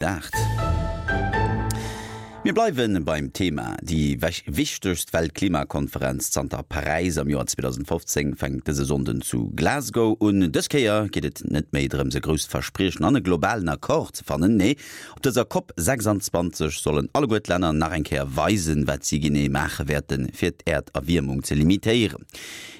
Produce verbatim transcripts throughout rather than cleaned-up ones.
Aacht. Mir bleiwe beim Thema. Déi wichtegst Weltklimakonferenz zanter Paräis am Joer zweedausendfofzéng fänkt dëse Sonnden zu Glasgow un. Dës Kéier geet et net méi drëms e grousst Verspriechen an e globalen Accord ze fannen. Nee, op dëser Cop sechsanzwanzeg sollen alleguer d'Länner nach eng Kéier weisen, wat si genee maache wäerten, fir d'Äerderwiermung ze limitéieren.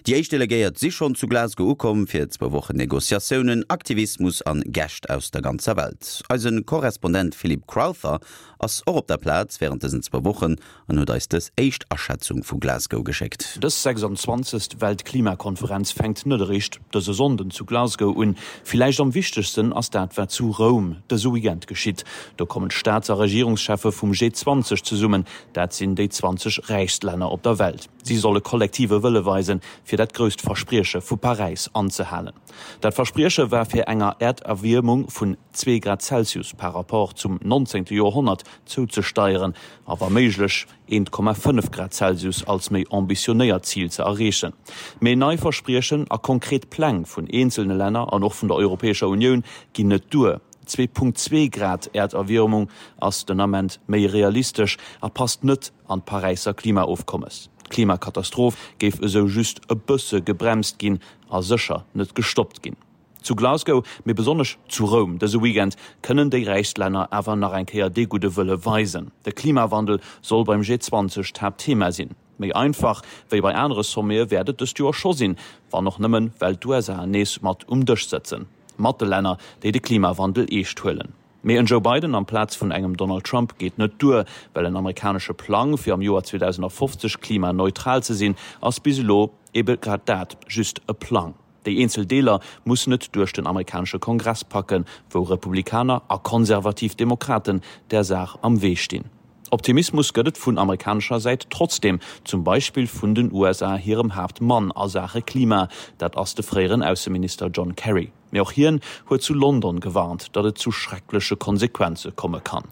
Déi éischt Delegéiert si schonn zu Glasgow ukomm fir zwou Wochen Negociatiounen, Aktivismus an Gäscht aus der ganzer Welt. Eise Korrespondent Philip Crowther ass och op der Plaz wärend dësen zwou Wochen an huet eis dës éischt Aschätzung vu Glasgow geschéckt. Dës sechsanzwanzegst Weltklimakonferenz fänkt net eréischt dëse Sonnden zu Glasgow un. Villäicht am wichtegsten ass dat wat zu Roum dëse Weekend geschitt. Do kommen d'Staats a Regierungscheffe vum G zwanzeg zesummen, dat sinn déi zwanzeg räichst Länner op der Welt. Si solle kollektive Wëlle weisen, fir dat grousst Versprieche vu Paräis anzehalen. Dat Versprieche war fir enger Äerderwiermung vun zwee Grad Celsius par rapport zum nonzéngte Joerhonnert zouzesteieren a wa méiglech eent Komma fënnef Grad Celsius als méi ambitionéiert Zil ze erreechen. Mee nei Verspriechen a konkret Pläng vun eenzelne Länner an och vun der Europäescher Unioun ginn net duer. Zwee Punkt zwee Grad Äerderwiermung ass den Ament méi realistesch a passt net an d'Paräisser Klimaofkommes. D'Klimakatastroph géif esou just e bësse gebremst ginn a sécher net gestoppt ginn. Zu Glasgow, mee besonnesch zu Roum dëse Weekend, kënnen déi räichst Länner awer nach eng Kéier dee gudde Wëlle weisen. De Klimawandel soll beim G zwanzeg d'Haaptthema sinn. Méi einfach wéi bei anere Sommete wäert et dëst Joer scho sinn, wann och nëmmen, well d'USA nees mat um Dësch sëtzen, mat de Länner, déi de Klimawandel eescht huelen. Mee en Joe Biden amplaz vun engem Donald Trump geet net duer, well en amerikanesche Plang, fir am Joer zweedausendafofzeg klimaneutral ze sinn, ass bis elo ebe grad dat, just e Plang. Déi eenzel Deeler mussen et duerch den amerikanesche Kongress packen, wou Republikaner a konservativ Demokraten der Saach am Wee stinn. Optimismus gëtt et vun amerikanescher Säit trotzdeem, zum Beispill vun den U S A hirem Haaptmann a Saache Klima, dat ass de fréieren Ausseminister John Kerry. Mee och hien huet zu London gewarnt, datt et zu schreckleche Konsequenze komme kann.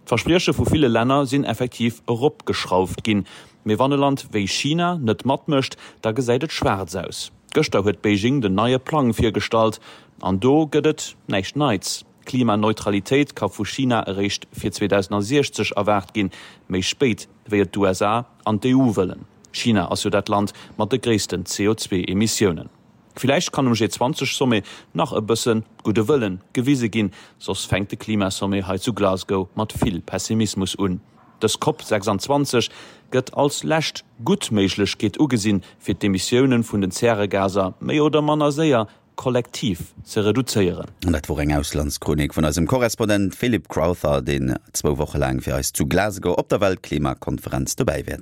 D'Versprieche vu ville Länner sinn effektiv eropgeschrauft ginn. Mee wann e Land wéi China net matmécht, da gesäit et schwaarz aus. Gëschter huet Beijing den neie Plang virgestallt an do gëtt et näischt Neits. Klimaneutralitéit ka vu China eréischt fir zweedausendsechzeg erwaart ginn, méi spéit wéi et d'U S A an d'E U wëllen. China ass jo dat Land mat de gréissten C O zwei Emissiounen. Villäicht kann um G zwanzeg Sommet nach e bësse gudde Wëllen gewise ginn, soss fänkt de Klimasommet hei zu Glasgow mat vill Pessimismus un. Dës Cop sechsanzwanzeg gëtt als lescht gutt Méiglechkeet ugesinn, fir d'Emissioune vun den Zäregaser méi oder manner séier kollektiv ze reduzéieren. An dat wor eng Auslandschronik vun eisem Korrespondent Philip Crowther, deen zwou Woche laang fir eis zu Glasgow op der Weltklimakonferenz dobäi wäert.